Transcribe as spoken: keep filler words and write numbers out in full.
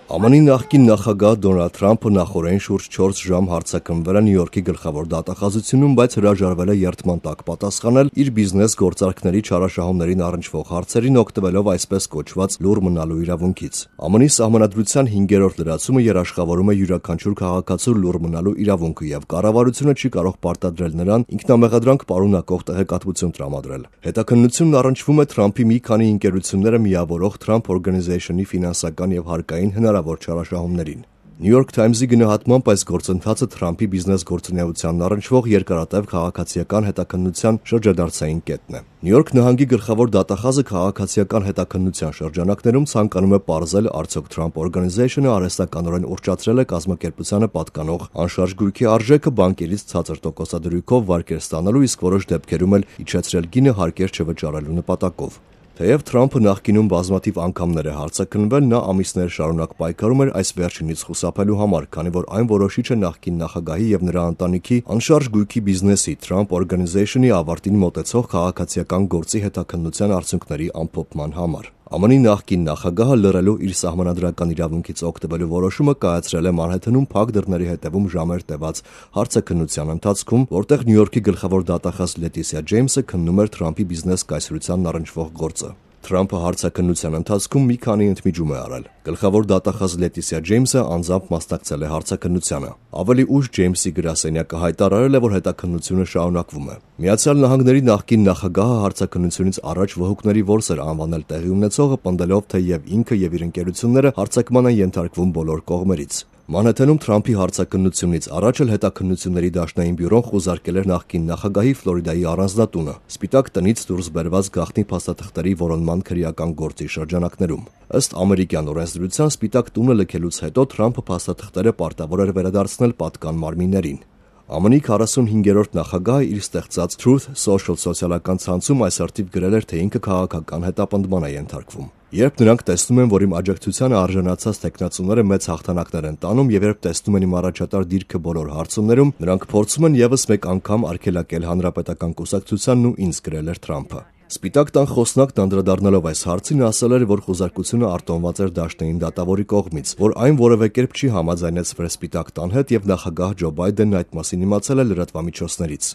Ամն Ի նախկին նախագահ Դոնալդ Թրամփը նախօրեին շուրջ չորս ժամ հարձակնվել է Նյու Յորքի գլխավոր դատախազությունում, բայց հրաժարվել է երդման տակ պատասխանել իր բիզնես գործարքների չարաշահումներին առնչվող հարցերին, օգտվելով այսպես կոչված լուռ մնալու իրավունքից։ ԱՄՆ-ի սահմանադրության հինգերորդ լրացումը երաշխավորում է յուրաքանչյուր քաղաքացու լուռ մնալու իրավունքը եւ կառավարությունը չի կարող պարտադրել նրան ինքնամեղադրանք պարունակող տեղեկատվություն տրամադրել։ Հետաքննությունն առնչվում է Թրամփի մի քանի ընկերությունները միավորող Trump Organization-ի ֆինանսական եւ հարկային հնարավոր չարաշահումներին։ New York Times-ի գնահատմամբ այս գործընթացը Թրամփի բիզնես գործունեությանն առնչվող երկարատև քաղաքացիական հետաքննության շրջադարձային կետն է։ Նյու Յորք նահանգի գլխավոր դատախազը քաղաքացիական հետաքննության շրջանակներում ցանկանում է պարզել, արդյոք Trump Organization-ը արհեստականորեն ուռճացրել է կազմակերպությանը պատկանող անշարժ գույքի արժեքը բանկերից ցածր տոկոսադրույքով վարկեր ստանալու, իսկ որոշ դեպքերում էլ իջեցրել գինը հարկեր չվճարելու նպատակով։ Թեև Թրամփը նախկինում բազմաթիվ անգամներ է հարձակնվել, նա ամիսներ շարունակ պայքարում էր այս վերջինից խուսափելու համար, քանի որ այն որոշիչ է նախկին նախագահի եւ նրա ընտանիքի անշարժ գույքի բիզնեսի Trump Organization-ի ավարտին մոտեցող քաղաքացիական գործի հետաքննության արդյունքների ամփոփման համար։ ԱՄՆ-ի նախկին նախագահը լռելու իր սահմանադրական իրավունքից օգտվելու որոշումը կայացրել է Մանհեթենում փակ դռների հետևում ժամեր տևած հարցաքննության ընթացքում, որտեղ Նյու Յորքի գլխավոր դատախազ Լետիսիա Ջեյմսը քննում էր Թրամփի բիզնես կայսրությանն առնչվող գործը։ Թրամփը հարցաքննության ընթացքում մի քանի ընդմիջում է արել։ Գլխավոր դատախազ Լետիսիա Ջեյմսը անձամբ մասնակցել է հարցաքննությանը։ Ավելի ուշ Ջեյմսի գրասենյակը հայտարարել է, որ հետաքննությունը շարունակվում է։ Միացյալ Նահանգների նախկին նախագահը հարցաքննությունից առաջ վհուկների որս էր անվանել տեղի ունեցողը, պնդելով, թե եւ ինքը եւ իր ընկերությունները հարցակման են ենթարկվում բոլոր կողմերից։ Մանհեթենում Թրամփի հարցաքննությունից առաջ էլ հետաքննությունների դաշնային բյուրոն խուզարկել էր նախկին նախագահի Ֆլորիդայի առանձնատունը, Սպիտակ տնից դուրս բերված գաղտնի փաստաթղթերի որոնման քրեական գործի շրջանակներում։ Ըստ ամերիկյան օրենսդրության Սպիտակ տունը լքելուց հետո Թրամփը փաստաթղթերը պարտավոր էր վերադարձնել պատկան մարմիններին։ ԱՄՆ-ի քառասունհինգերորդ նախագահը իր ստեղծած Truth Social սոցիալական ցանցում այս արդիվ գրել էր, թե ինքը քաղաքական հետապնդման է ենթարկվում։ Երբ նրանք տեսնում են, որ իմ աջակցությանը արժանացած տեխնացուները մեծ հաղթանակներ են տանում եւ երբ տեսնում են իմ առաջատար դիրքը բոլոր հարցումներում, նրանք փորձում են եւս մեկ անգամ արգելակել հանրապետական կուսակցությանն ու ինձ, գրել էր Թրամփը։ Սպիտակ տան խոսնակն անդրադառնալով այս հարցին ասել էր, որ խուզարկությունը արտոնված էր դաշնային դատավորի կողմից, որ այն որևէ կերպ չի համաձայնեցվել Սպիտակ տան հետ եւ նախագահ Ջո Բայդենն այդ մասին իմացել է լրատվամիջոցներից։